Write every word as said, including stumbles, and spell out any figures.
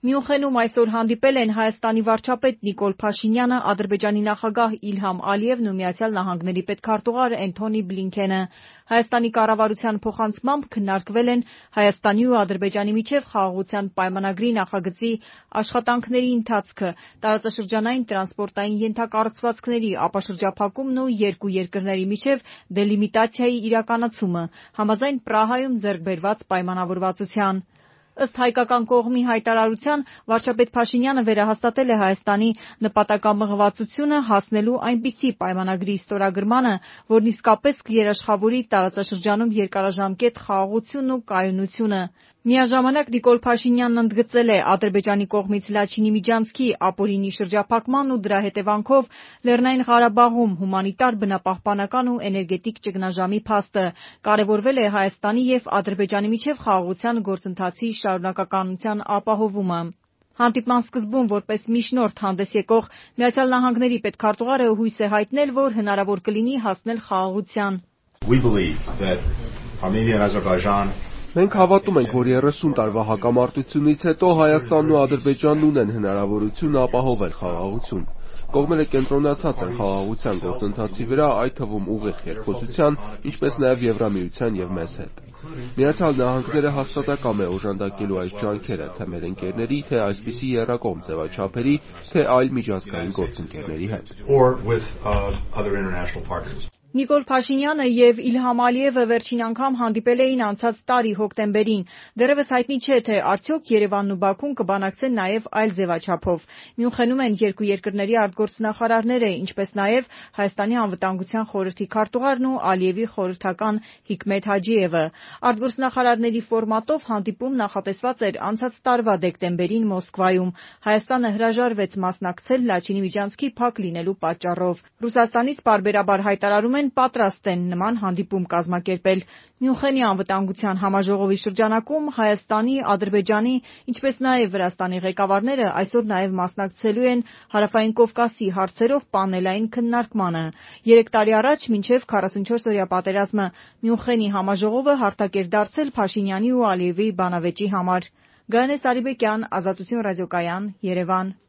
Մյունխենում այսօր հանդիպել են Հայաստանի վարչապետ Նիկոլ Փաշինյանը, Ադրբեջանի նախագահ Իլհամ Ալիևն ու Միացյալ Նահանգների պետքարտուղար Էնթոնի Բլինքենը։ Հայաստանի կառավարության փոխանցմամբ քննարկվել են Հայաստանի ու Ադրբեջանի միջև խաղաղության պայմանագրի նախագծի աշխատանքների ընթացքը, տարածաշրջանային տրանսպորտային ենթակառուցվածքների ապաշրջափակումն ու երկու երկրների միջև դելիմիտացիայի իրականացումը, համաձայն Պրահայում ձեռք բերված պայմանավորվածության։ Ըստ հայկական կողմի հայտարարության, վարչապետ Փաշինյանը վերահաստատել է Հայաստանի նպատակամղվածությունը հասնելու այնպիսի պայմանագրի ստորագրմանը, որն իսկապես կերաշխավորի տարածաշրջանում երկարաժամկետ խաղաղությունն ու կայունությունը։ Միաժամանակ Նիկոլ Փաշինյանն ընդգծել է Ադրբեջանի կողմից Լաչինի միջանցքի ապօրինի շրջափակման ու դրա հետևանքով Լեռնային Ղարաբաղում հումանիտար, բնապահպանական ու էներգետիկ ճգնաժամի փաստը։ Կարևորվել է Հայաստանի և Ադրբեջանի միջև խաղաղության գործընթացի շարունակականության ապահովումը։ Հանդիպման սկզբում որպես միջնորդ հանդես եկող Միացյալ Նահանգների պետքարտուղարը հույս է հայտնել, որ հնարավոր կլինի հասնել խաղաղության։ Մենք հավատում ենք, որ երեսուն տարվա հակամարտությունից հետո Հայաստանն ու Ադրբեջանն ունեն հնարավորություն ապահովել խաղաղություն։ Կողմերը կենտրոնացած են խաղաղության գործընթացի վրա, այդ թվում ուղիղ երկխոսության, ինչպես նաև Եվրամիության և մեզ հետ։ Միացյալ Նահանգները հաստատակամ է օժանդակելու այս ջանքերը թե մեր ընկերների, թե այսպիսի եռակողմ ձևաչափերի, թե այլ միջազգային գործընկերների հետ։ Նիկոլ Փաշինյանը և Իլհամ Ալիևը վերջին անգամ հանդիպել էին անցած տարի հոկտեմբերին։ Դեռևս հայտնի չէ, թե արդյոք Երևանն ու Բաքուն կբանակցեն նաև այլ ձևաչափով։ Մյունխենում են երկու երկրների արտգործնախարարները, ինչպես նաև Հայաստանի անվտանգության խորհրդի քարտուղարն ու Ալիևի խորհրդական Հիկմետ Հաջիևը։ Արտգործնախարարների ֆորմատով հանդիպում նախատեսված էր անցած տարվա դեկտեմբերին Մոսկվայում։ Հայաստանը հրաժարվեց մասնակցել Լաչինի միջանցքի փակ լինելու պատճառով։ Ռուսաստանից պարբերաբար հայտարարում են պատրաստ են նման հանդիպում կազմակերպել։ Մյունխենի անվտանգության համաժողովի շրջանակում Հայաստանի, Ադրբեջանի, ինչպես նաև Վրաստանի ղեկավարները այսօր նաև մասնակցելու են Հարավային Կովկասի հարցերով պանելային քննարկմանը։ Երեք տարի առաջ, մինչև քառասունչորսօրյա պատերազմը, Մյունխենի համաժողովը հարթակ էր դարձել Փաշինյանի ու Ալիևի բանավեճի համար։ Գայանե Սարիբեկյան, Ազատություն ռադիոկայան, Երևան։